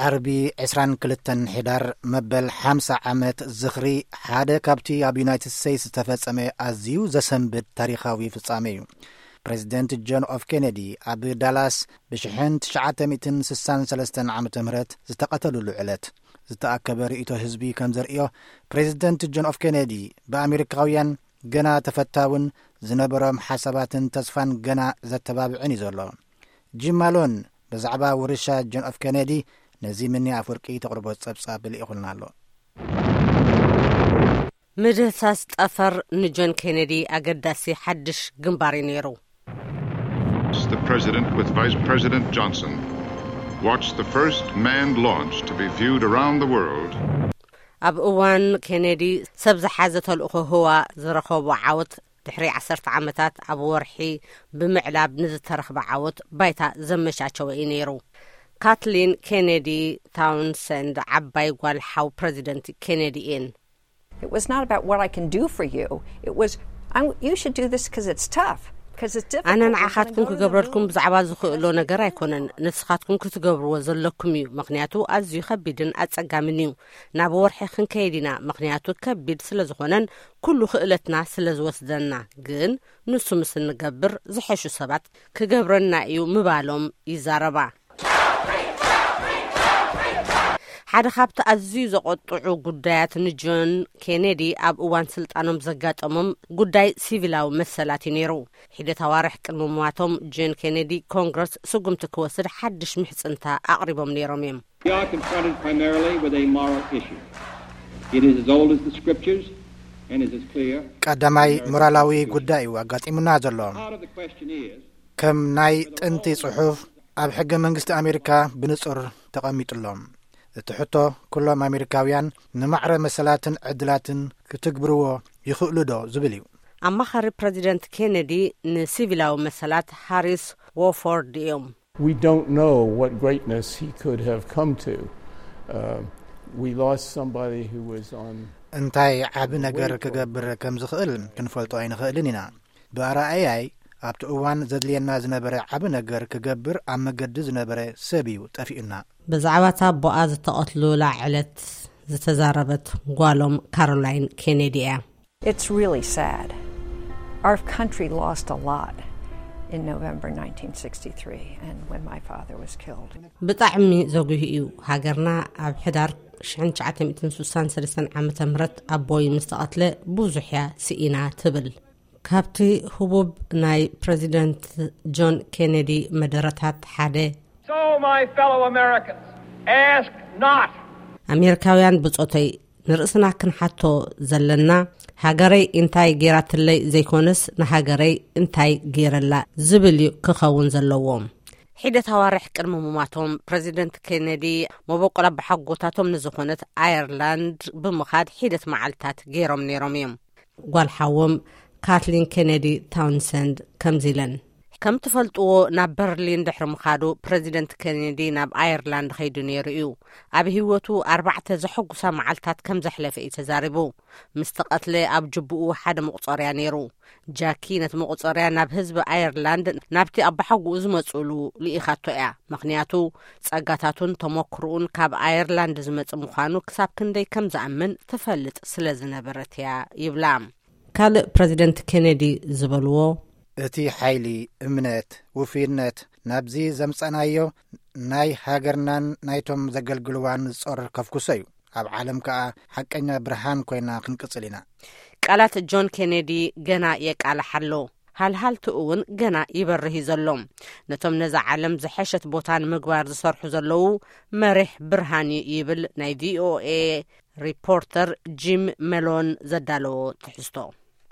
ዓርቢ ዕስራን ክልተን ሕዳር መበል ሓምሳ ዓመት ዝኽሪ ሓደ ካብቲ ኣብ ዩናይትድ ስቴትስ ዝተፈጸመ ኣዝዩ ዘሰንብድ ታሪኻዊ ፍጻሜ እዩ። ፕሬዚደንት ጆን ኤፍ ኬነዲ ኣብ ዳላስ ብሽሕን ትሽዓተ ሚእትን ስሳን ሰለስተን ዓመተ ምህረት ዝተቐተሉሉ ዕለት ዝተኣከበ ርእይቶ ህዝቢ ከም ዘርእዮ፣ ፕሬዚደንት ጆን ኤፍ ኬነዲ ብኣሜሪካውያን ገና ተፈታውን ዝነበሮም ሓሳባትን ተስፋን ገና ዘተባብዕን እዩ ዘሎ። ጂም ማሎን ብዛዕባ ውርሻ ጆን ኤፍ ኬነዲ ነዚ ምኒ ኣፍወርቂ ተቕርቦ ጸብጻብ ልኢኹልና ኣሎ። ምድህሳስ ጠፈር ንጆን ኬነዲ ኣገዳሲ ሓድሽ ግንባር እዩ ነይሩ። The president with Vice President Johnson watched the first manned launch to be viewed around the world. ኣብ እዋን ኬነዲ ሰብ ዝሓዘ ተልእኾ ህዋ ዝረኸቦ ዓወት ድሕሪ ዓሰርተ ዓመታት ኣብ ወርሒ ብምዕላብ ንዝተረኽበ ዓወት ባይታ ዘመቻቸወ እዩ ነይሩ። ካትሊን ኬነዲ ታውንሰንድ ዓባይ ጓል ሓው ፕረዚደንት ኬነዲ እየን። It was not about what I can do for you. It was, I'm, you should do this because it's tough. Because it's difficult. ኣነ ንዓኻትኩም ክገብረልኩም ብዛዕባ ዝኽእሎ ነገር ኣይኮነን፣ ንስኻትኩም ክትገብርዎ ዘለኩም እዩ። ምኽንያቱ ኣዝዩ ከቢድን ኣጸጋምን እዩ። ናብ ወርሒ ክንከይድ ኢና፣ ምኽንያቱ ከቢድ ስለ ዝኾነን ኩሉ ክእለትና ስለ ዝወስደና። ግን ንሱ ምስ እንገብር ዝሐሹ ሰባት ክገብረና እዩ ምባሎም ይዛረባ። ሓደ ካብቲ ኣዝዩ ዘቆጥዑ ጉዳያት ንጆን ኬኔዲ ኣብ እዋን ስልጣኖም ዘጋጠሞም ጉዳይ ሲቪላዊ መሰላት እዩ ነይሩ። ሒደት ኣዋርሕ ቅድሚ ምዋቶም ጆን ኬኔዲ ኮንግረስ ስጉምቲ ክወስድ ሓድሽ ምሕጽንታ ኣቕሪቦም ነይሮም እዮም። We are confronted primarily with a moral issue. It is as old as the scriptures and is as clear. ቀዳማይ ሞራላዊ ጉዳይ እዩ ኣጋጢሙና ዘሎ። Part of the question is ከም ናይ ጥንቲ ጽሑፍ ኣብ ሕገ መንግስቲ ኣሜሪካ ብንጹር ተቐሚጡሎም። እቲ ሕቶ ኩሎም ኣሜሪካውያን ንማዕረ መሰላትን ዕድላትን ክትግብርዎ ይኽእሉ ዶ ዝብል እዩ። ኣማኻሪ ፕረዚደንት ኬነዲ ንሲቪላዊ መሰላት ሃሪስ ዎፎርድ እዮም። We don't know what greatness he could have come to. Uh, we lost somebody who was on. እንታይ ዓቢ ነገር ክገብር ከም ዝኽእል ክንፈልጦ ኣይንኽእልን ኢና። ብኣረኣእያይ ኣብቲ እዋን ዘድልየና ዝነበረ ዓቢ ነገር ክገብር ኣብ መገዲ ዝነበረ ሰብ እዩ ጠፊኡና። ብዛዕባ እታ ኣቦኣ ዝተቐትሉላ ዕለት ዝተዛረበት ጓሎም ካሮላይን ኬኔዲ እያ። It's really sad. Our country lost a lot in November nineteen sixty-three and when my father was killed. ብጣዕሚ ዘጉሂ እዩ። ሃገርና ኣብ ሕዳር ሽሕን ትሽዓተ ሚእትን ስሳን ሰለስተን ዓመተ ምህረት ኣቦይ ምስ ተቐትለ ብዙሕ እያ ስኢና ትብል። ካብቲ ህቡብ ናይ ፕረዚደንት ጆን ኬኔዲ መደረታት ሓደ So, my fellow Americans, ask not. ኣሜሪካውያን ብጾተይ ንርእስና ክንሓቶ ዘለና፣ ሃገረይ እንታይ ጌራትለይ ዘይኮነስ፣ ንሃገረይ እንታይ ጌረላ ዝብል እዩ ክኸውን ዘለዎ። ሒደት ኣዋርሕ ቅድሚ ምማቶም፣ ፕረዚደንት ኬነዲ መበቆል ኣቦሓጎታቶም ንዝኾነት ኣየርላንድ ብምኻድ ሒደት መዓልታት ገይሮም ነይሮም እዮም። ጓል ሓዎም ካትሊን ኬነዲ ታውንሰንድ ከምዚ ኢለን። ከም ትፈልጥዎ፣ ናብ በርሊን ድሕሪ ምኻዱ፣ ፕረዚደንት ኬነዲ ናብ ኣየርላንድ ከይዱ ነይሩ እዩ። ኣብ ህይወቱ ኣርባዕተ ዘሐጉሳ መዓልታት ከም ዘሕለፈ እዩ ተዛሪቡ። ምስ ተቐትለ ኣብ ጅቡኡ ሓደ መቑጸርያ ነይሩ። ጃኪ ነቲ መቑጸርያ ናብ ህዝቢ ኣየርላንድ፣ ናብቲ ኣባሓጎኡ ዝመጽእሉ ልኢኻቶ እያ። ምኽንያቱ፣ ጸጋታቱን ተመክሮኡን ካብ ኣየርላንድ ዝመጽእ ምዃኑ ክሳብ ክንደይ ከም ዝኣምን ትፈልጥ ስለ ዝነበረት እያ ይብላ። ካልእ ፕረዚደንት ኬነዲ ዝበልዎ፣ እቲ ሓይሊ፣ እምነት፣ ውፉይነት ናብዚ ዘምጻእናዮ ናይ ሃገርናን ናይቶም ዘገልግልዋን ጾር ከፍኩሶ እዩ። ኣብ ዓለም ከኣ ሓቀኛ ብርሃን ኮይና ክንቅጽል ኢና። ቃላት ጆን ኬነዲ ገና የቃልሕ ኣሎ። ሃልሃልትኡ እውን ገና ይበርህ እዩ ዘሎ። ነቶም ነዛ ዓለም ዝሐሸት ቦታ ንምግባር ዝሰርሑ ዘለዉ መሪሕ ብርሃን እዩ ይብል ናይ ቪኦኤ ሪፖርተር ጂም መሎን ዘዳለዎ ትሕዝቶ።